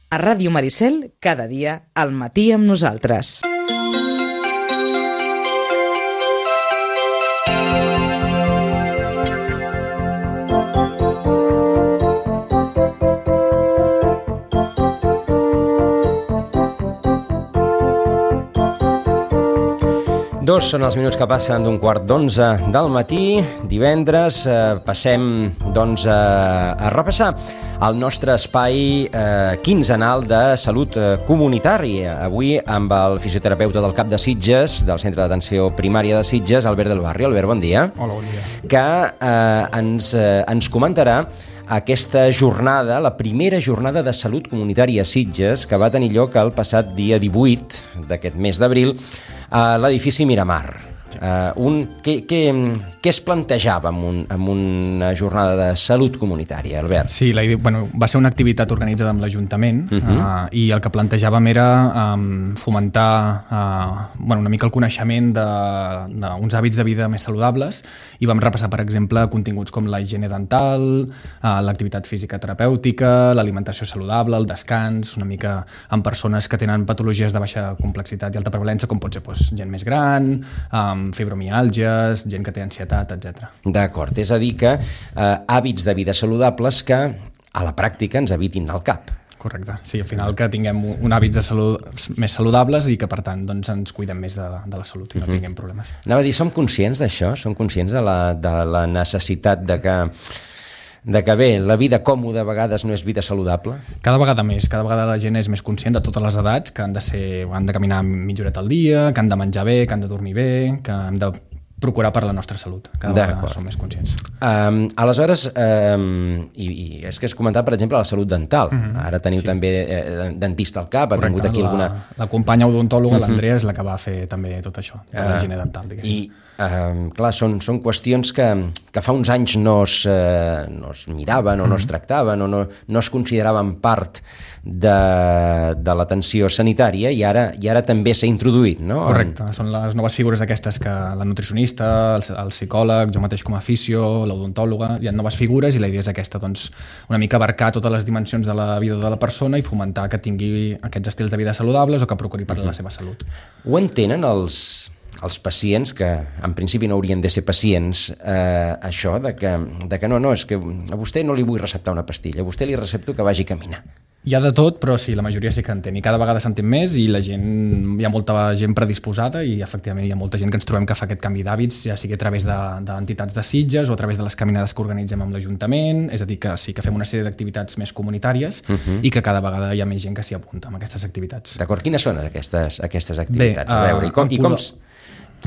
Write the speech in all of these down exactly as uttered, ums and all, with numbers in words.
A Ràdio Maricel, cada dia, al matí amb nosaltres. Dos són els minuts que passen d'un quart d'onze del matí, divendres. Eh, passem, doncs, a, a repassar el nostre espai eh, quinzenal de salut eh, comunitària. Avui amb el fisioterapeuta del CAP de Sitges, del Centre d'Atenció Primària de Sitges, Albert del Barrio. Albert, bon dia. Hola, bon dia. Que eh, ens, eh, ens comentarà aquesta jornada, la primera jornada de salut comunitària a Sitges, que va tenir lloc el passat dia divuit d'aquest mes d'abril, a l'edifici Miramar. Uh, un, què, què, què es plantejava en, un, en una jornada de salut comunitària, Albert? Sí, la idea, bueno, va ser una activitat organitzada amb l'Ajuntament uh -huh. uh, i el que plantejàvem era um, fomentar uh, bueno, una mica el coneixement d'uns hàbits de vida més saludables, i vam repassar, per exemple, continguts com la higiene dental, uh, l'activitat física terapèutica, l'alimentació saludable, el descans, una mica amb persones que tenen patologies de baixa complexitat i alta prevalència, com pot ser doncs, gent més gran, um, fibromiàlgies, gent que té ansietat, etcètera. D'acord, és a dir que eh, hàbits de vida saludables que a la pràctica ens evitin el cap. Correcte, sí, al final que tinguem un hàbits de salut més saludables i que per tant doncs, ens cuidem més de, de la salut i no uh-huh. tinguem problemes. Anava a dir, som conscients d'això? Som conscients de la, de la necessitat de que de que bé, la vida còmoda a vegades no és vida saludable? Cada vegada més, cada vegada la gent és més conscient de totes les edats, que han de ser, han de caminar mitja horeta al dia, que han de menjar bé, que han de dormir bé, que hem de procurar per la nostra salut. Cada vegada som més conscients. Um, aleshores, um, i, i és que es comentava, per exemple, la salut dental. Uh-huh. Ara teniu sí. també eh, dentista al cap, ha vingut aquí la, alguna... La companya odontòloga, uh-huh. l'Andrea, és la que va fer també tot això, de la higiene dental, diguéssim. I Uh, clar, són, són qüestions que, que fa uns anys no es, uh, no es miraven o no es tractaven o no, no es consideraven part de, de l'atenció sanitària i ara, i ara també s'ha introduït, no? Correcte, en... són les noves figures aquestes que la nutricionista, el, el psicòleg, jo mateix com a fisio, l'odontòloga, hi ha noves figures i la idea és aquesta, doncs, una mica abarcar totes les dimensions de la vida de la persona i fomentar que tingui aquests estils de vida saludables o que procuri per uh-huh. la seva salut. Ho entenen els... els pacients, que en principi no haurien de ser pacients, eh, això de que, de que no, no, és que a vostè no li vull receptar una pastilla, a vostè li recepto que vagi a caminar. Hi ha de tot, però sí, la majoria sí que entén, i cada vegada s'entén més, i la gent, hi ha molta gent predisposada, i efectivament hi ha molta gent que ens trobem que fa aquest canvi d'hàbits, ja sigui a través d'entitats de, de Sitges o a través de les caminades que organitzem amb l'Ajuntament, és a dir, que sí que fem una sèrie d'activitats més comunitàries uh-huh. i que cada vegada hi ha més gent que s'hi apunta amb aquestes activitats. D'acord, quines són aquestes, aquestes activitats? Bé, a veure, i com... I com...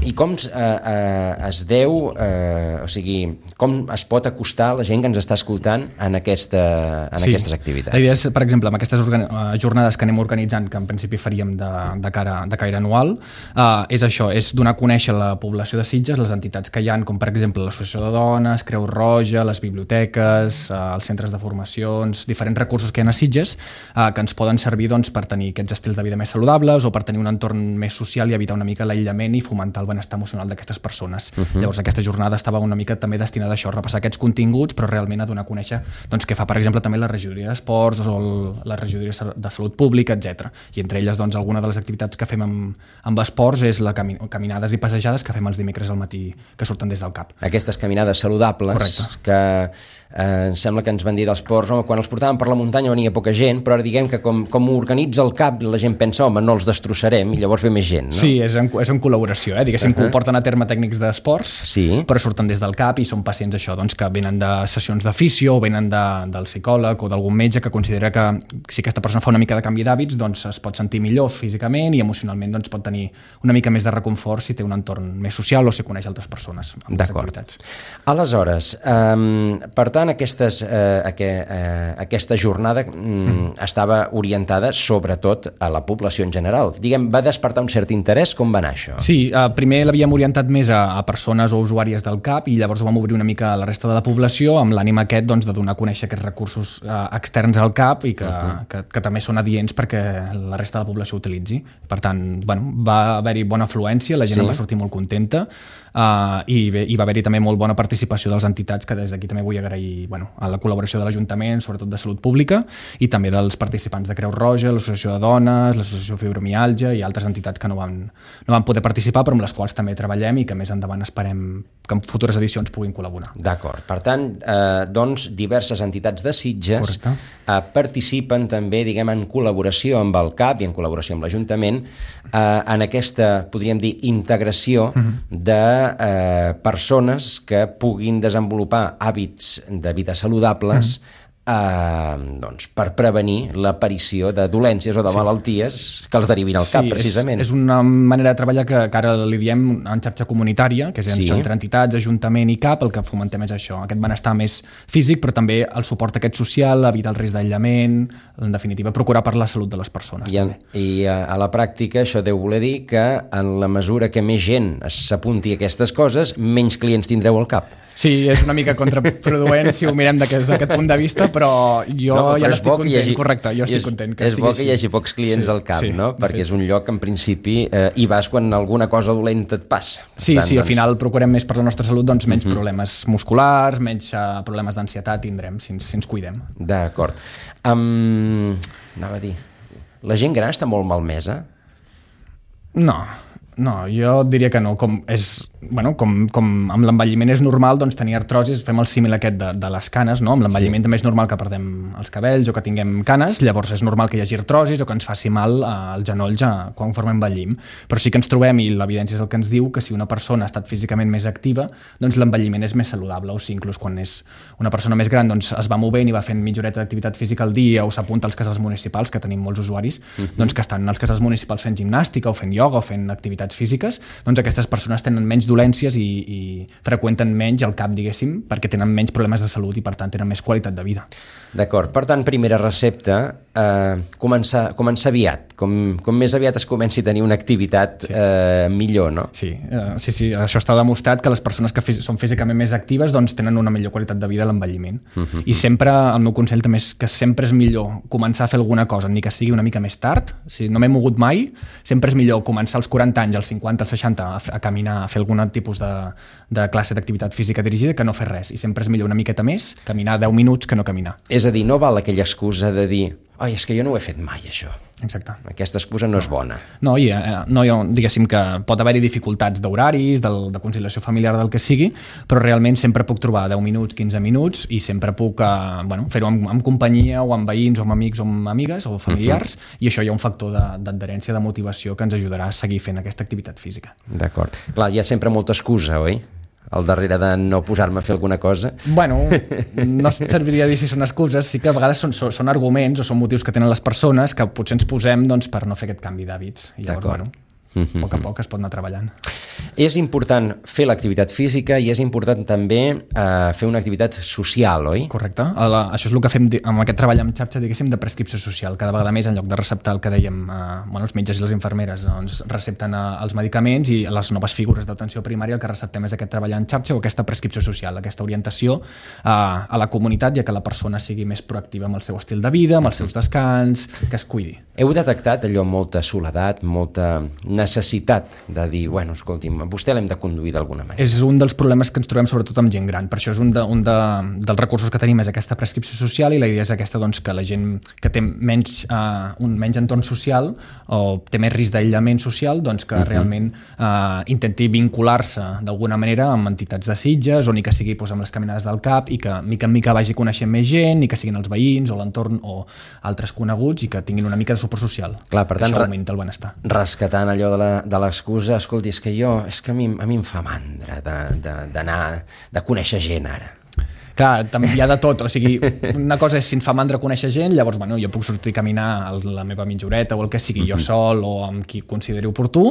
I com eh, eh, es deu, eh, o sigui, com es pot acostar la gent que ens està escoltant en, aquesta, en sí. aquestes activitats? La idea és, per exemple, amb aquestes jornades que anem organitzant, que en principi faríem de, de, cara, de caire anual, eh, és això, és donar a conèixer la població de Sitges, les entitats que hi ha, com per exemple l'Associació de Dones, Creu Roja, les biblioteques, eh, els centres de formacions, diferents recursos que hi ha a Sitges, eh, que ens poden servir doncs, per tenir aquests estils de vida més saludables o per tenir un entorn més social i evitar una mica l'aïllament i fomentar el benestar emocional d'aquestes persones. Uh-huh. Llavors aquesta jornada estava una mica també destinada a això, a repassar aquests continguts, però realment a donar a conèixer doncs, què fa, per exemple, també la regidoria d'esports o el, la regidoria de salut pública, etcètera. I entre elles, doncs, alguna de les activitats que fem amb, amb esports és la cami caminades i passejades que fem els dimecres al matí, que surten des del CAP. Aquestes caminades saludables. Correcte. Que eh, em sembla que ens van dir dels ports, home, quan els portàvem per la muntanya venia poca gent, però ara diguem que com, com ho organitza el CAP la gent pensa, home, no els destrossarem i llavors ve més gent, no? Sí, és en, és en col·laboració, eh? Diguéssim uh-huh. que ho porten a terme tècnics d'esports, sí. però surten des del CAP i són pacients això, doncs, que venen de sessions de fisio o venen de, del psicòleg o d'algun metge que considera que si aquesta persona fa una mica de canvi d'hàbits doncs es pot sentir millor físicament i emocionalment doncs, pot tenir una mica més de reconfort si té un entorn més social o si coneix altres persones amb les activitats. Aleshores, um, per tant, aquestes, uh, aqu uh, aquesta jornada um, mm. estava orientada sobretot a la població en general. Diguem, va despertar un cert interès? Com va anar això? Sí, uh, primer l'havíem orientat més a, a persones o usuàries del C A P i llavors ho vam obrir una mica a la resta de la població amb l'ànim aquest doncs, de donar a conèixer aquests recursos eh, externs al C A P i que, uh-huh. que, que també són adients perquè la resta de la població ho utilitzi. Per tant, bueno, va haver-hi bona afluència, la gent sí. en va sortir molt contenta uh, i, bé, i va haver-hi també molt bona participació de les entitats, que des d'aquí també vull agrair bueno, a la col·laboració de l'Ajuntament, sobretot de Salut Pública, i també dels participants de Creu Roja, l'Associació de Dones, l'Associació Fibromialgia i altres entitats que no van, no van poder participar, però amb les quals també treballem i que més endavant esperem que en futures edicions puguin col·laborar. D'acord. Per tant, eh, doncs, diverses entitats de Sitges eh, participen també, diguem, en col·laboració amb el C A P i en col·laboració amb l'Ajuntament eh, en aquesta, podríem dir, integració uh-huh. de eh, persones que puguin desenvolupar hàbits de vida saludables uh-huh. Uh, doncs, per prevenir l'aparició de dolències o de sí. malalties que els derivin al sí, cap, precisament. És, és una manera de treballar que, que ara li diem en xarxa comunitària, que és sí. entre entitats, Ajuntament i C A P, el que fomentem és això, aquest benestar més físic, però també el suport aquest social, evitar el risc d'aïllament, en definitiva, procurar per la salut de les persones. I, en, i a, a la pràctica això deu voler dir que en la mesura que més gent s'apunti a aquestes coses, menys clients tindreu al cap. Sí, és una mica contraproduent si ho mirem d'aquest, d'aquest punt de vista, però jo no, ja estic content, hagi, correcte, jo estic és, content que és sigui bo que hi hagi pocs clients sí, al cap, sí, no? Perquè fet. És un lloc que en principi eh, hi vas quan alguna cosa dolenta et passa. Sí, tant, sí, doncs... al final procurem més per la nostra salut, doncs menys uh-huh. problemes musculars, menys uh, problemes d'ansietat tindrem si ens, si ens cuidem. D'acord. Um, anava a dir, la gent gran està molt malmesa? No, no, jo diria que no. Com és, bueno, com, com amb l'envelliment és normal doncs, tenir artrosis, fem el símil aquest de, de les canes, no? Amb l'envelliment sí. també és normal que perdem els cabells o que tinguem canes, llavors és normal que hi hagi artrosis o que ens faci mal als genolls conforme envellim. Però sí que ens trobem, i l'evidència és el que ens diu, que si una persona ha estat físicament més activa, doncs l'envelliment és més saludable, o sigui, inclús quan és una persona més gran doncs, es va movent i va fent mitja horeta d'activitat física al dia o s'apunta als casals municipals, que tenim molts usuaris, uh-huh. doncs que estan als casals municipals fent gimnàstica o fent ioga o fent activitats físiques, doncs aquestes persones tenen menys dolències i, i freqüenten menys el cap, diguéssim, perquè tenen menys problemes de salut i per tant tenen més qualitat de vida. D'acord, per tant, primera recepta, eh, començar, començar aviat, com, com més aviat es comenci a tenir una activitat sí. eh, millor, no? Sí, eh, sí, sí, això està demostrat que les persones que són físicament més actives doncs tenen una millor qualitat de vida a l'envelliment. Uh-huh. I sempre, el meu consell també és que sempre és millor començar a fer alguna cosa, ni que sigui una mica més tard, si no m'he mogut mai, sempre és millor començar als quaranta anys, als cinquanta, als seixanta, a, a caminar, a fer algun tipus de, de classe d'activitat física dirigida que no fer res, i sempre és millor una miqueta més caminar deu minuts que no caminar. És a dir, no val aquella excusa de dir oi, és que jo no ho he fet mai, això. Exacte. Aquesta excusa no és bona. No, i, eh, no, jo, diguéssim que pot haver-hi dificultats d'horaris, del, de conciliació familiar, del que sigui, però realment sempre puc trobar deu minuts, quinze minuts, i sempre puc eh, bueno, fer-ho amb, amb companyia, o amb veïns, o amb amics, o amb amigues, o familiars, uh-huh. i això hi ha un factor de, d'adherència, de motivació, que ens ajudarà a seguir fent aquesta activitat física. D'acord. Clar, hi ha sempre molta excusa, oi? Al darrere de no posar-me a fer alguna cosa. Bueno, no serviria dir si són excuses, sí que a vegades són, són, són arguments o són motius que tenen les persones que potser ens posem doncs, per no fer aquest canvi d'hàbits. I llavors, bueno, a poc a poc es pot anar treballant. És important fer l'activitat física i és important també eh, fer una activitat social, oi? Correcte. La, això és el que fem amb aquest treball en xarxa, diguéssim, de prescripció social. Cada vegada més, en lloc de receptar el que dèiem, eh, bueno, els metges i les infermeres doncs, recepten eh, els medicaments, i les noves figures d'atenció primària el que receptem és aquest treball en xarxa o aquesta prescripció social, aquesta orientació eh, a la comunitat i a que la persona sigui més proactiva amb el seu estil de vida, amb els seus descans, que es cuidi. Heu detectat allò molta soledat, molta necessitat de dir, bueno, escolti'm, vostè l'hem de conduir d'alguna manera? És un dels problemes que ens trobem sobretot amb gent gran, per això és un, de, un de, dels recursos que tenim és aquesta prescripció social, i la idea és aquesta, doncs, que la gent que té menys, uh, un menys entorn social o té més risc d'aïllament social, doncs que uh-huh. realment uh, intenti vincular-se d'alguna manera amb entitats de Sitges, o ni que sigui doncs, amb les caminades del C A P, i que mica en mica vagi coneixent més gent, ni que siguin els veïns o l'entorn o altres coneguts, i que tinguin una mica de suport social. Clar, per tant, això augmenta el benestar. Rescatant allò de la, de l'excusa, escolti, és que jo, és que a mi, a mi em fa mandra d'anar, de conèixer gent ara. Clar, també hi ha de tot, o sigui, una cosa és si em fa mandra conèixer gent, llavors, bueno, jo puc sortir a caminar a la meva mitja horeta o el que sigui, jo sol o amb qui consideri oportú,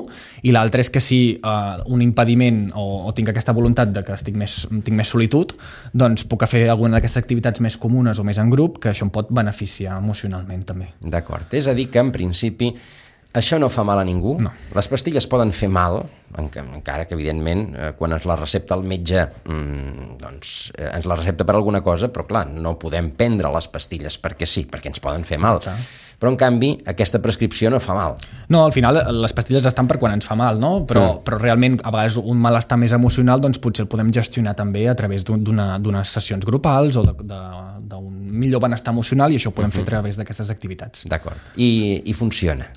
i l'altre és que si uh, un impediment o, o tinc aquesta voluntat de que estic més, tinc més solitud, doncs puc fer alguna d'aquestes activitats més comunes o més en grup, que això em pot beneficiar emocionalment també. D'acord, és a dir que en principi Això no fa mal a ningú. No. Les pastilles poden fer mal, encara que, evidentment, quan ens la recepta el metge, doncs ens la recepta per alguna cosa, però, clar, no podem prendre les pastilles perquè sí, perquè ens poden fer mal. Però, en canvi, aquesta prescripció no fa mal. No, al final, les pastilles estan per quan ens fa mal, no? Però, mm. però realment, a vegades, un malestar més emocional, doncs potser el podem gestionar també a través d'unes sessions grupals o d'un millor benestar emocional, i això ho podem uh-huh. fer a través d'aquestes activitats. D'acord. I, i funciona?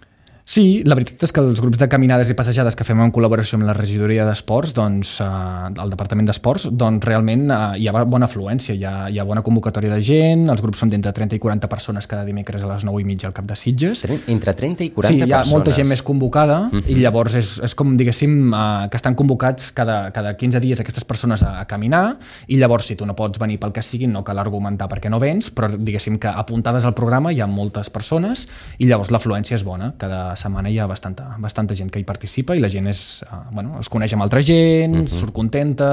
Sí, la veritat és que els grups de caminades i passejades que fem en col·laboració amb la regidoria d'esports, doncs, eh, el departament d'esports, doncs realment eh, hi ha bona afluència, hi ha, hi ha bona convocatòria de gent, els grups són d'entre trenta i quaranta persones cada dimecres a les nou i mitja al Cap de Sitges. Entre trenta i quaranta persones? Sí, hi ha persones. Molta gent més convocada uh-huh. i llavors és, és com, diguéssim, eh, que estan convocats cada, cada quinze dies aquestes persones a, a caminar, i llavors si tu no pots venir pel que sigui, no cal argumentar perquè no vens, però diguéssim que apuntades al programa hi ha moltes persones i llavors l'afluència és bona. Cada setmana hi ha bastanta, bastanta gent que hi participa i la gent és, uh, bueno, es coneix amb altra gent, uh-huh. surt contenta,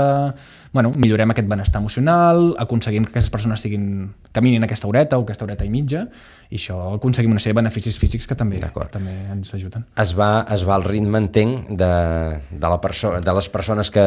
bueno, millorem aquest benestar emocional, aconseguim que aquestes persones siguin, caminin aquesta horeta o aquesta horeta i mitja, i això aconseguim una sèrie de beneficis físics que també, que també ens ajuden. Es va, es va al ritme, entenc, de, de, la perso- de les persones que,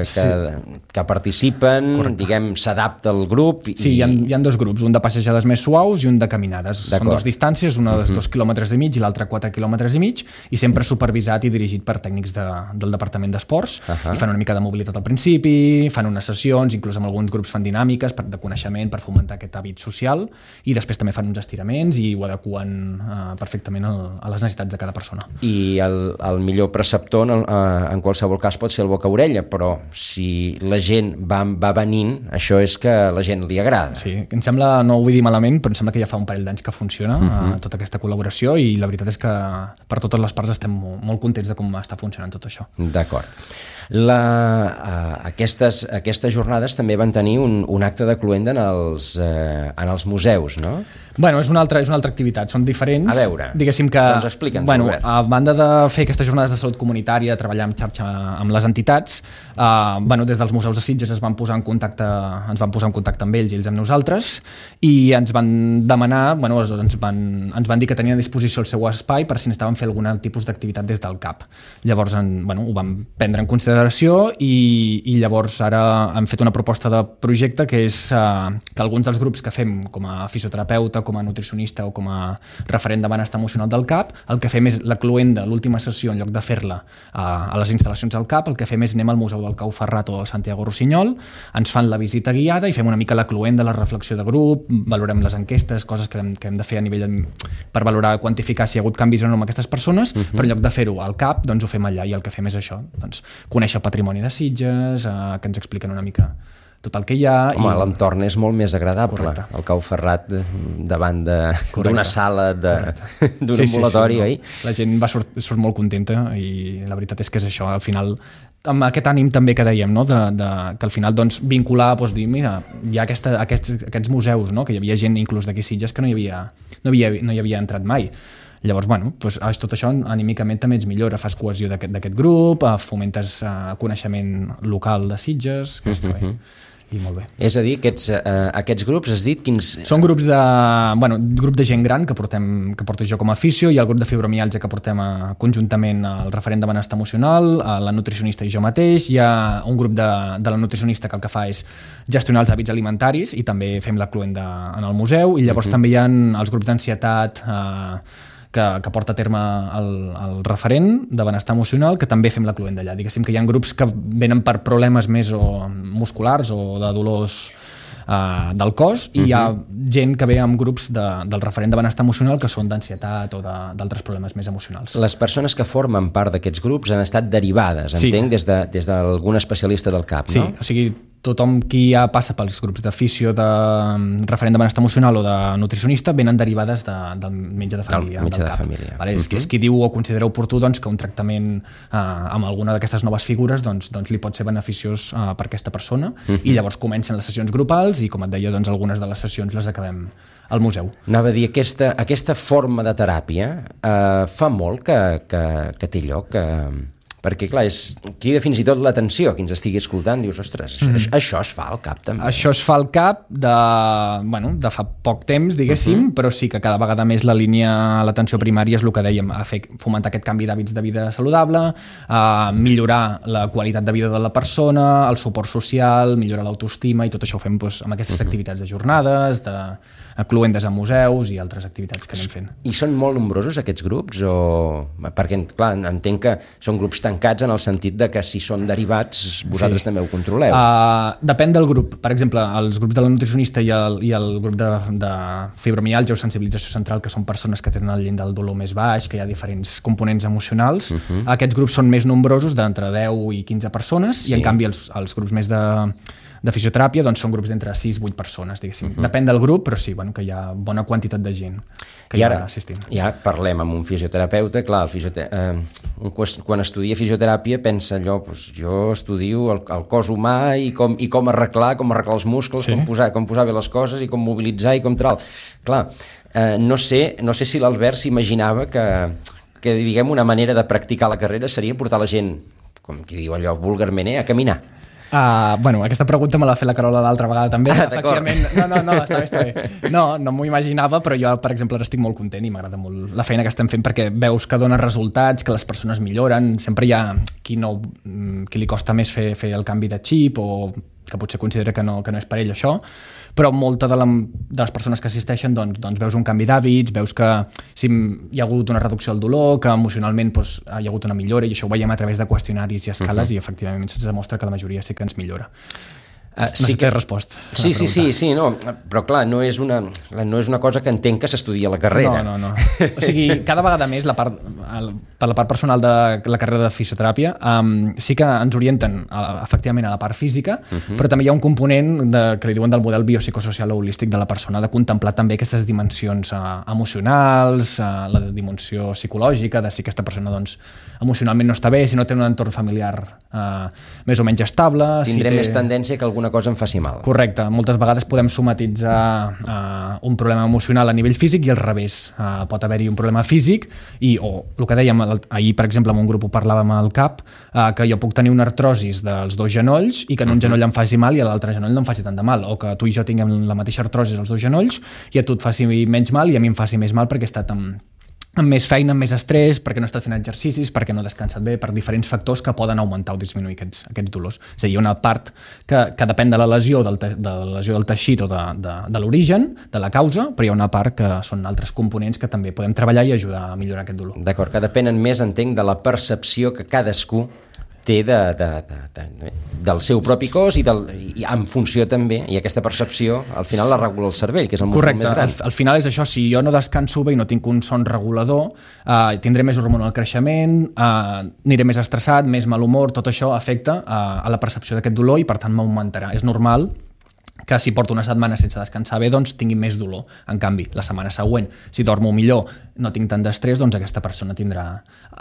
que, sí. que participen, correcte. Diguem, s'adapta al grup. I... Sí, hi ha, hi ha dos grups, un de passejades més suaus i un de caminades. D'acord. Són dues distàncies, una de uh-huh. dos quilòmetres i mig i l'altra quatre quilòmetres i mig, i sempre supervisat i dirigit per tècnics de, del Departament d'Esports, uh-huh. i fan una mica de mobilitat al principi, fan unes sessions, inclús amb alguns grups fan dinàmiques per, de coneixement per fomentar aquest hàbit social, i després també fan uns estiraments i ho adequen uh, perfectament al, a les necessitats de cada persona. I el, el millor preceptor en, uh, en qualsevol cas pot ser el boca-orella, però si la gent va, va venint, això és que a la gent li agrada. Sí, em sembla, no ho vull dir malament, però em sembla que ja fa un parell d'anys que funciona uh-huh. uh, tota aquesta col·laboració, i la veritat és que per totes les parts estem molt, molt contents de com està funcionant tot això. D'acord. La, uh, aquestes, aquestes jornades també van tenir un, un acte de cloenda en els, uh, en els museus, no? Bueno, és una altra, és una altra activitat, són diferents. A veure, diguéssim que, doncs explica'ns, bueno, Robert. A banda de fer aquestes jornades de salut comunitària, de treballar en xarxa amb les entitats, eh, bueno, des dels museus de Sitges es van posar en contacte, ens van posar en contacte amb ells i ells amb nosaltres, i ens van demanar, bueno, ens van, ens van dir que tenien a disposició el seu espai per si necessitaven fer algun tipus d'activitat des del C A P. Llavors, en, bueno, ho vam prendre en consideració i, i llavors ara hem fet una proposta de projecte que és eh, que alguns dels grups que fem com a fisioterapeuta, com a nutricionista o com a referent de benestar emocional del C A P, el que fem és la cloenda, l'última sessió, en lloc de fer-la a, a les instal·lacions del C A P, el que fem és anem al Museu del Cau Ferrat o del Santiago Rossinyol, ens fan la visita guiada i fem una mica la cloenda, la reflexió de grup, valorem les enquestes, coses que hem, que hem de fer a nivell de, per valorar, quantificar si hi ha hagut canvis o no amb aquestes persones, uh-huh. però en lloc de fer-ho al C A P, doncs ho fem allà, i el que fem és això, doncs, conèixer el patrimoni de Sitges, eh, que ens expliquen una mica tot el que hi ha. Home, i... l'entorn és molt més agradable. Correcte. El Cau Ferrat davant d'una sala d'un sí, ambulatori, sí, sí, no? La gent va surt, surt molt contenta, i la veritat és que és això, al final, amb aquest ànim també que dèiem, no? de, de, que al final doncs, vincular, doncs, dir, mira, hi ha aquesta, aquests, aquests museus, no? Que hi havia gent inclús d'aquí Sitges que no hi havia, no havia, no hi havia entrat mai. Llavors, bueno, doncs, tot això anímicament també ens millora, fas cohesió d'aquest grup, fomentes coneixement local de Sitges, que està bé. I molt bé. És a dir, aquests, uh, aquests grups, has dit quins... Són grups de, bueno, grup de gent gran que, portem, que porto jo com a aficio, hi ha el grup de fibromiàlgia que portem a, conjuntament el referent de benestar emocional, a la nutricionista i jo mateix, hi ha un grup de, de la nutricionista que el que fa és gestionar els hàbits alimentaris i també fem la cloenda en el museu, i llavors uh-huh. també hi ha els grups d'ansietat, eh, que, que porta a terme el, el referent de benestar emocional, que també fem la cloenda allà. Diguéssim que hi ha grups que venen per problemes més o musculars o de dolors uh, del cos, i uh-huh. hi ha gent que ve amb grups de, del referent de benestar emocional que són d'ansietat o d'altres problemes més emocionals. Les persones que formen part d'aquests grups han estat derivades, sí. entenc, des, de, des d'algun especialista del C A P, sí, no? Sí, o sigui, tothom qui ja passa pels grups de fisio, de referent de benestar emocional o de nutricionista, venen derivades de, del metge de família. Del metge del de família. Vale? Uh-huh. és, és qui diu o considera oportú doncs, que un tractament eh, amb alguna d'aquestes noves figures doncs, doncs li pot ser beneficiós eh, per aquesta persona, uh-huh. i llavors comencen les sessions grupals i, com et deia, doncs, algunes de les sessions les acabem al museu. Anava a dir, aquesta, aquesta forma de teràpia eh, fa molt que, que, que té lloc, que, perquè clar, és, crida fins i tot l'atenció qui ens estigui escoltant, dius, ostres, això, mm. això es fa al cap també. Això es fa al cap de, bueno, de fa poc temps, diguéssim, uh-huh. però sí que cada vegada més la línia a l'atenció primària és el que dèiem, a fer, fomentar aquest canvi d'hàbits de vida saludable, a millorar la qualitat de vida de la persona, el suport social, millorar l'autoestima, i tot això ho fem doncs, amb aquestes uh-huh. activitats de jornades, de cluendes a museus i altres activitats que anem fent. I són molt nombrosos aquests grups? O... Perquè, clar, entenc que són grups tancats en el sentit de que si són derivats vosaltres sí. també ho controleu. Uh, depèn del grup. Per exemple, els grups de la nutricionista i el, i el grup de, de fibromialgia o sensibilització central, que són persones que tenen el llindar del dolor més baix, que hi ha diferents components emocionals, uh-huh. aquests grups són més nombrosos, d'entre deu i quinze persones, sí. i en canvi els, els grups més de de fisioteràpia doncs són grups d'entre sis a vuit persones, diguéssim. Uh-huh. Depèn del grup, però sí, bueno, que hi ha bona quantitat de gent que I hi ara, ha assistint. I ara parlem amb un fisioterapeuta, clar, el fisiote... eh, un, quan estudia fisioteràpia pensa allò, doncs jo estudio el, el cos humà i com, i com arreglar, com arreglar els muscles, sí. com, posar, com posar bé les coses i com mobilitzar i com tal. Clar, eh, no sé, no sé si l'Albert s'imaginava que, que, diguem, una manera de practicar la carrera seria portar la gent, com qui diu allò vulgarment, eh, a caminar. Uh, bueno, aquesta pregunta me l'ha fet la Carola l'altra vegada també. Ah, efectivament, no, no, no, està bé, està bé. No, no m'ho imaginava, però jo, per exemple, ara estic molt content i m'agrada molt la feina que estem fent perquè veus que dona resultats, que les persones milloren. Sempre hi ha qui, no, qui li costa més fer, fer el canvi de xip o que potser considera que no, que no és per ell això, però molta de, la, de les persones que assisteixen doncs, doncs veus un canvi d'hàbits, veus que sí, hi ha hagut una reducció del dolor, que emocionalment doncs, hi ha hagut una millora, i això ho veiem a través de qüestionaris i escales, uh-huh. i efectivament se'ns demostra que la majoria sí que ens millora. Uh, sí que he respost. Sí, sí, sí, sí, no, però clar, no és una, no és una cosa que entenc que s'estudia a la carrera. No, no, no. O sigui, cada vegada més, la part, el, per la part personal de la carrera de fisioteràpia, um, sí que ens orienten a, efectivament a la part física, uh-huh. però també hi ha un component de, que li diuen del model biopsicosocial o holístic de la persona, de contemplar també aquestes dimensions uh, emocionals, uh, la dimensió psicològica, de si aquesta persona doncs, emocionalment no està bé, si no té un entorn familiar uh, més o menys estable. Tindré si té... més tendència que alguna cosa em faci mal. Correcte. Moltes vegades podem somatitzar uh, un problema emocional a nivell físic i al revés. Uh, pot haver-hi un problema físic i, o el que dèiem, ahir, per exemple, en un grup ho parlàvem al cap, uh, que jo puc tenir una artrosis dels dos genolls i que en un uh-huh. genoll em faci mal i a l'altre genoll no em faci tant de mal. O que tu i jo tinguem la mateixa artrosis als dos genolls i a tu et faci menys mal i a mi em faci més mal perquè he estat amb amb més feina, amb més estrès, perquè no he estat fent exercicis, perquè no he descansat bé, per diferents factors que poden augmentar o disminuir aquests, aquests dolors. És a dir, hi ha una part que, que depèn de la lesió del, te, de la lesió del teixit o de, de, de l'origen, de la causa, però hi ha una part que són altres components que també podem treballar i ajudar a millorar aquest dolor. D'acord, que depenen més, entenc, de la percepció que cadascú té de, de, de, de, del seu propi cos i, del, i en funció també, i aquesta percepció al final la regula el cervell, que és el múscul més gran. Correcte, al, al final és això, si jo no descanso bé i no tinc un son regulador, eh, tindré més hormona al creixement, eh, aniré més estressat, més mal humor, tot això afecta a, a la percepció d'aquest dolor i per tant m'augmentarà. És normal que si porto una setmana sense descansar bé, doncs tingui més dolor. En canvi, la setmana següent, si dormo millor, no tinc tant d'estrès, doncs aquesta persona tindrà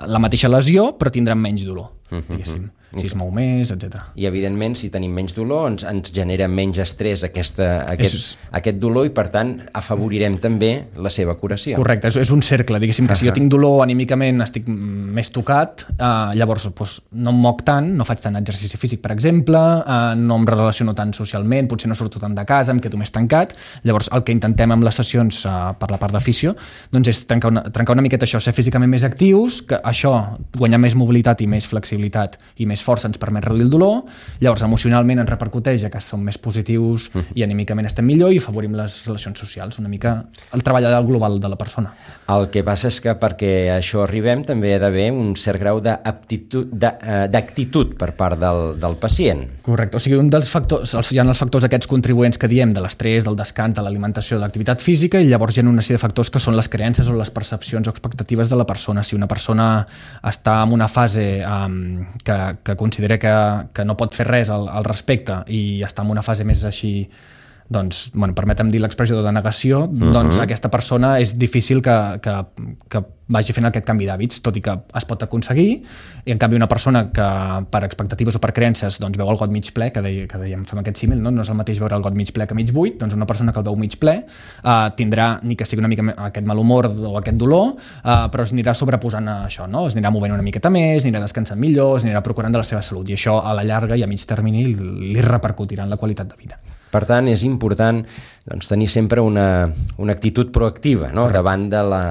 la mateixa lesió, però tindrà menys dolor, diguéssim. Si es mou més, etcètera. I, evidentment, si tenim menys dolor, ens, ens genera menys estrès aquesta, aquest, és... aquest dolor i, per tant, afavorirem també la seva curació. Correcte, és, és un cercle, diguéssim, que uh-huh. si jo tinc dolor anímicament, estic més tocat, eh, llavors doncs, no em moc tant, no faig tant exercici físic, per exemple, eh, no em relaciono tant socialment, potser no surto tant de casa, em quedo més tancat. Llavors, el que intentem amb les sessions eh, per la part de fisio, doncs és trencar una, trencar una miqueta això, ser físicament més actius, que això, guanyar més mobilitat i més flexibilitat i més força ens permet reduir el dolor, llavors emocionalment ens repercuteix que som més positius uh-huh. i anímicament estem millor i afavorim les relacions socials, una mica el treball global de la persona. El que passa és que perquè això arribem també ha d'haver un cert grau d'actitud per part del, del pacient. Correcte, o sigui, un dels factors, hi ha els factors aquests contribuents que diem de l'estrès, del descans, de l'alimentació, de l'activitat física, i llavors hi ha una sèrie de factors que són les creences o les percepcions o expectatives de la persona. Si una persona està en una fase um, que, que considera que, que no pot fer res al, al respecte i està en una fase més així doncs, bueno, permetem dir l'expressió de denegació, uh-huh. doncs aquesta persona és difícil que, que, que vagi fent aquest canvi d'hàbits, tot i que es pot aconseguir, i en canvi una persona que per expectatives o per creences doncs, veu el got mig ple, que, deia, que dèiem, fem aquest símil, no? no és el mateix veure el got mig ple que mig buit, doncs una persona que el veu mig ple eh, tindrà, ni que sigui una mica aquest mal humor o aquest dolor, eh, però es anirà sobreposant a això, no? Es anirà movent una miqueta més, anirà descansant millor, es anirà procurant de la seva salut, i això a la llarga i a mig termini li repercutirà en la qualitat de vida. Per tant, és important doncs, tenir sempre una, una actitud proactiva, no? davant, de la,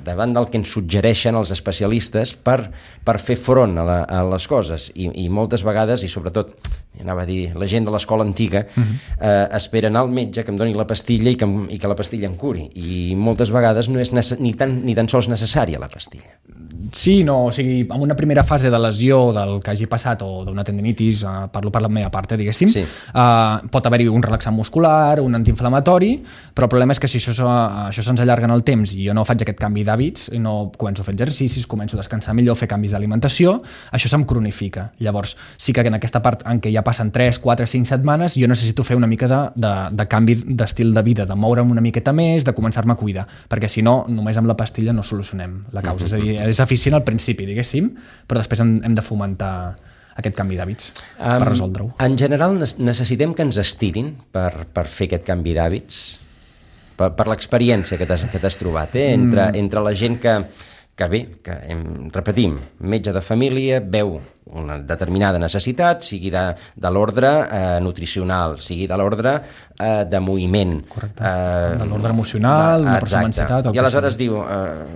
davant del que ens suggereixen els especialistes per, per fer front a, la, a les coses. I, I moltes vegades, i sobretot, anava a dir, la gent de l'escola antiga, uh-huh. eh, espera anar al metge que em doni la pastilla i que, i que la pastilla em curi. I moltes vegades no és nece- ni, tan, ni tan sols necessària la pastilla. Sí, no, o sigui, en una primera fase de lesió del que hagi passat o d'una tendinitis, eh, parlo per la meva part, eh, diguéssim, sí. eh, pot haver-hi un relaxant muscular, un antiinflamatori, però el problema és que si això, això se'ns allarga en el temps i jo no faig aquest canvi d'hàbits, i no començo a fer exercicis, començo a descansar millor, fer canvis d'alimentació, això se'm cronifica. Llavors, sí que en aquesta part en què ja passen tres, quatre, cinc setmanes, jo necessito fer una mica de, de, de canvi d'estil de vida, de moure'm una miqueta més, de començar-me a cuidar, perquè si no, només amb la pastilla no solucionem la causa. És a dir, és eficient al principi, diguéssim, però després hem, hem de fomentar aquest canvi d'hàbits um, per resoldre-ho. En general necessitem que ens estirin per, per fer aquest canvi d'hàbits? Per, per l'experiència que t'has, que t'has trobat, eh? entre, mm. entre la gent que, que bé, que hem, repetim, metge de família, veu una determinada necessitat, sigui de, de l'ordre eh, nutricional, sigui de l'ordre eh, de moviment. Correcte. Eh, de l'ordre emocional, de, una persona amb ansietat. I aleshores diu, eh,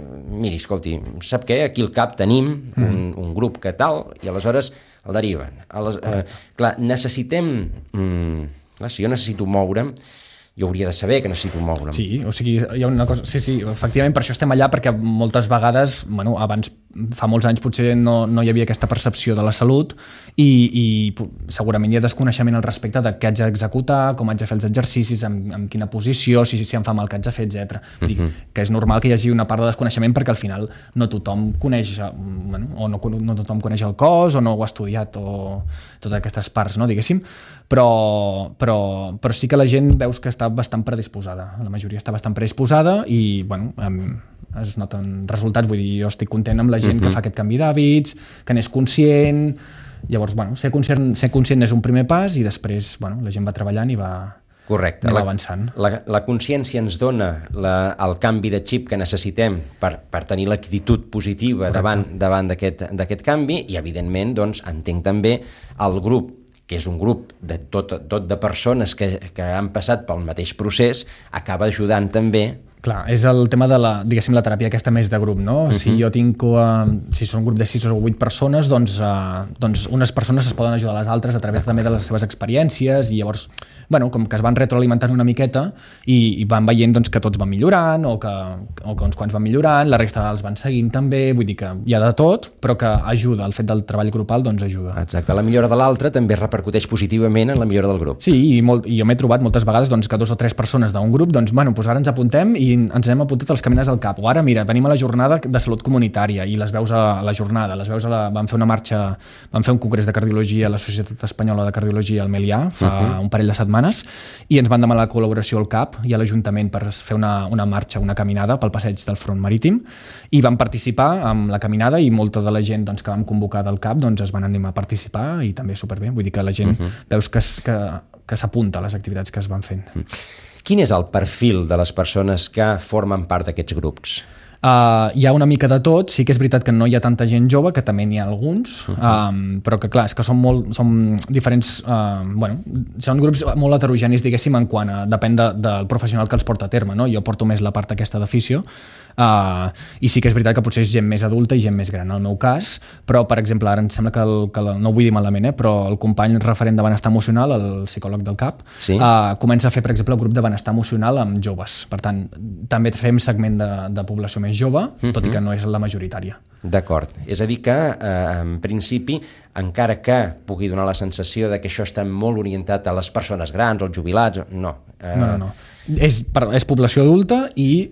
miri, escolti, sap què? Aquí al CAP tenim mm. un, un grup que tal, i aleshores el deriven. Ales, eh, clar, necessitem... Mm, clar, si jo necessito moure'm, jo hauria de saber que necessito moure'm. Sí, o sigui, hi ha una cosa... Sí, sí, efectivament, per això estem allà, perquè moltes vegades, bueno, abans, fa molts anys, potser no, no hi havia aquesta percepció de la salut i, i segurament hi ha desconeixement al respecte de què haig d'executar, com haig de fer els exercicis, en, en quina posició, si, si em fa mal què haig de fer, etcètera. Uh-huh. Dic que és normal que hi hagi una part de desconeixement perquè al final no tothom coneix, bueno, o no, no tothom coneix el cos, o no ho ha estudiat, o totes aquestes parts, no, diguéssim, però, però, però sí que la gent veus que està bastant predisposada, la majoria està bastant predisposada i, bueno, es noten resultats, vull dir, jo estic content amb la gent uh-huh. que fa aquest canvi d'hàbits, que n'és conscient, llavors, bueno, ser conscient, ser conscient és un primer pas i després, bueno, la gent va treballant i va, Correcte. I va la, avançant. La, la consciència ens dona la, el canvi de xip que necessitem per, per tenir l'actitud positiva Correcte. davant, davant d'aquest, d'aquest canvi i, evidentment, doncs, entenc també el grup que és un grup de tot, tot de persones que, que han passat pel mateix procés, acaba ajudant també. Clar, és el tema de la, diguéssim, la teràpia aquesta més de grup, no? Uh-huh. Si jo tinc, uh, si són un grup de sis o vuit persones, doncs, uh, doncs unes persones es poden ajudar a les altres a través també de les seves experiències i llavors, bueno, com que es van retroalimentant una miqueta i, i van veient doncs, que tots van millorant o que, o que uns quants van millorant, la resta els van seguint també, vull dir que hi ha de tot, però que ajuda, el fet del treball grupal doncs ajuda. Exacte, la millora de l'altre també repercuteix positivament en la millora del grup. Sí, i, molt, i jo m'he trobat moltes vegades doncs, que dos o tres persones d'un grup, doncs, bueno, doncs ara ens apuntem i ens hem apuntat als caminars del CAP, o ara mira, venim a la jornada de salut comunitària i les veus a la jornada, les veus a la... vam fer una marxa, vam fer un congrés de cardiologia a la Societat Espanyola de Cardiologia al Melià fa uh-huh. un parell de setmanes i ens van demanar la col·laboració al CAP i a l'Ajuntament per fer una, una marxa, una caminada pel passeig del front marítim i vam participar amb la caminada i molta de la gent doncs, que vam convocar del CAP doncs, es van animar a participar i també superbé, vull dir que la gent uh-huh. veus que, que, que s'apunta a les activitats que es van fent. Uh-huh. Quin és el perfil de les persones que formen part d'aquests grups? Uh, hi ha una mica de tot, sí que és veritat que no hi ha tanta gent jove, que també n'hi ha alguns, uh-huh. um, però que clar, és que són molt són diferents, uh, bueno, són grups molt heterogenis, diguéssim, en quant a, depèn de, del professional que els porta a terme, no? Jo porto més la part aquesta d'afició, Uh, i sí que és veritat que potser és gent més adulta i gent més gran, en el meu cas, però per exemple ara em sembla que, el, que el, no ho vull dir malament, eh, però el company referent de benestar emocional, el psicòleg del CAP, sí? uh, comença a fer per exemple el grup de benestar emocional amb joves, per tant també fem segment de, de població més jove, uh-huh. tot i que no és la majoritària. D'acord, és a dir que eh, en principi, encara que pugui donar la sensació de que això està molt orientat a les persones grans, als jubilats, no. Eh... No, no, no. És, és població adulta i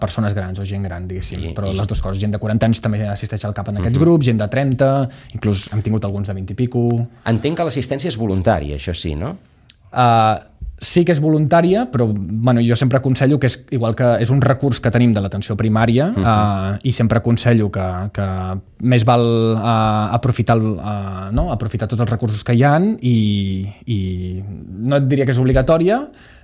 persones grans o gent gran, diguéssim, sí, però i... les dues coses. Gent de quaranta anys també assisteix al CAP en aquests uh-huh. grups, gent de trenta, inclús hem tingut alguns de vint i pico. Entenc que l'assistència és voluntària, això sí, no? Uh, sí que és voluntària, però bueno, jo sempre aconsello que és igual que és un recurs que tenim de l'atenció primària uh-huh. uh, i sempre aconsello que, que més val uh, aprofitar, el, uh, no? aprofitar tots els recursos que hi ha i, i no et diria que és obligatòria,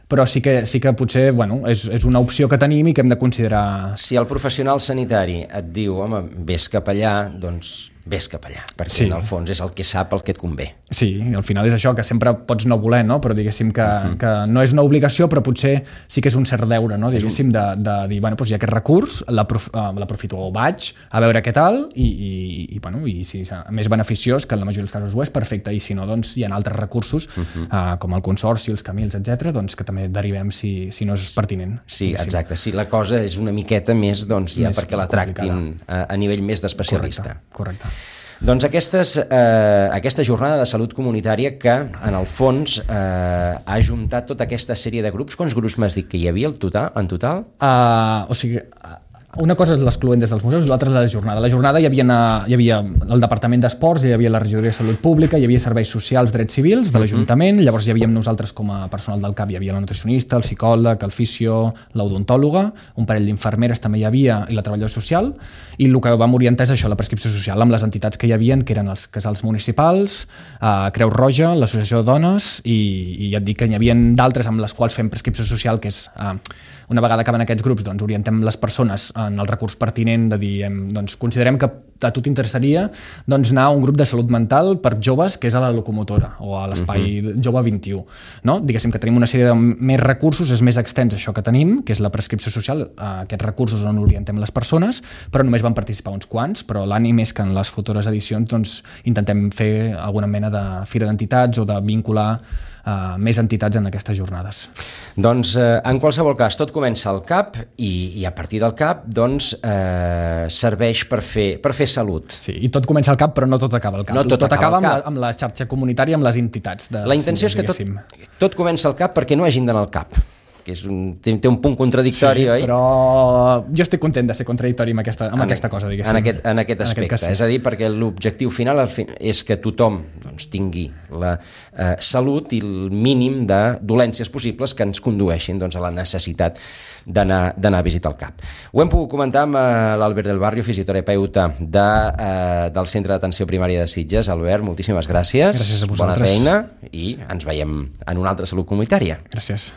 però sí que, sí que potser bueno, és, és una opció que tenim i que hem de considerar. Si el professional sanitari et diu, home, vés cap allà, doncs vés cap allà, perquè sí. en el fons és el que sap el que et convé. Sí, al final és això, que sempre pots no voler, no? Però diguéssim que, uh-huh. que no és una obligació, però potser sí que és un cert deure, no? Diguéssim, de, de dir, bueno, doncs hi ha aquest recurs, l'aprofito o vaig a veure què tal, i, i, i, bueno, i si és més beneficiós, que en la majoria dels casos ho és, perfecte, i si no, doncs hi ha altres recursos, uh-huh. uh, com el consorci, els Camils, etcètera, doncs que també derivem si, si no és pertinent. Sí, exacte, si la cosa és una miqueta més, doncs ja més perquè la tractin a, a nivell més d'especialista. Correcte, correcte. Doncs aquestes, eh, aquesta jornada de salut comunitària que, en el fons, eh, ha ajuntat tota aquesta sèrie de grups. Quants grups m'has dit que hi havia en total? En total? Uh, o sigui... Una cosa és l'excloent des dels museus i l'altra és la jornada. La jornada hi havia, hi havia el Departament d'Esports, hi havia la Regidoria de Salut Pública, hi havia serveis socials, drets civils de l'Ajuntament, uh-huh. llavors hi havíem nosaltres com a personal del C A P, hi havia la nutricionista, el psicòleg, el fisio, l'odontòloga, un parell d'infermeres també hi havia i la treballadora social, i el que vam orientar és això, la prescripció social, amb les entitats que hi havia, que eren els casals municipals, eh, Creu Roja, l'Associació de Dones, i, i ja et dic que hi havia d'altres amb les quals fem prescripció social, que és... Eh, una vegada acaben aquests grups, doncs orientem les persones en el recurs pertinent de dir, hem, doncs considerem que a tu t'interessaria doncs, anar a un grup de salut mental per joves que és a la locomotora o a l'espai uh-huh. jove vint-i-u. No? Diguéssim que tenim una sèrie de més recursos, és més extens això que tenim, que és la prescripció social, aquests recursos on orientem les persones, però només van participar uns quants, però l'ànim és que en les futures edicions doncs, intentem fer alguna mena de fira d'entitats o de vincular Uh, més entitats en aquestes jornades. Doncs, eh, en qualsevol cas, tot comença al C A P i, i a partir del C A P doncs, eh, serveix per fer, per fer salut. Sí, i tot comença al C A P, però no tot acaba al C A P. No tot, tot acaba, acaba amb, la, amb la xarxa comunitària, amb les entitats. De, la intenció és que tot, tot comença al C A P perquè no hagin d'anar al C A P, que és un, té, té un punt contradictori, sí, oi? Però jo estic content de ser contradictori amb aquesta, amb en, aquesta cosa, diguéssim. En aquest, en aquest aspecte, en aquest sí. És a dir, perquè l'objectiu final és que tothom doncs, tingui la eh, salut i el mínim de dolències possibles que ens condueixin doncs, a la necessitat d'anar a visitar el C A P. Ho hem pogut comentar amb eh, l'Albert del Barrio, fisioterapeuta de, eh, del Centre d'Atenció Primària de Sitges. Albert, moltíssimes gràcies. Gràcies a vosaltres. Bona feina i ens veiem en una altra salut comunitària. Gràcies.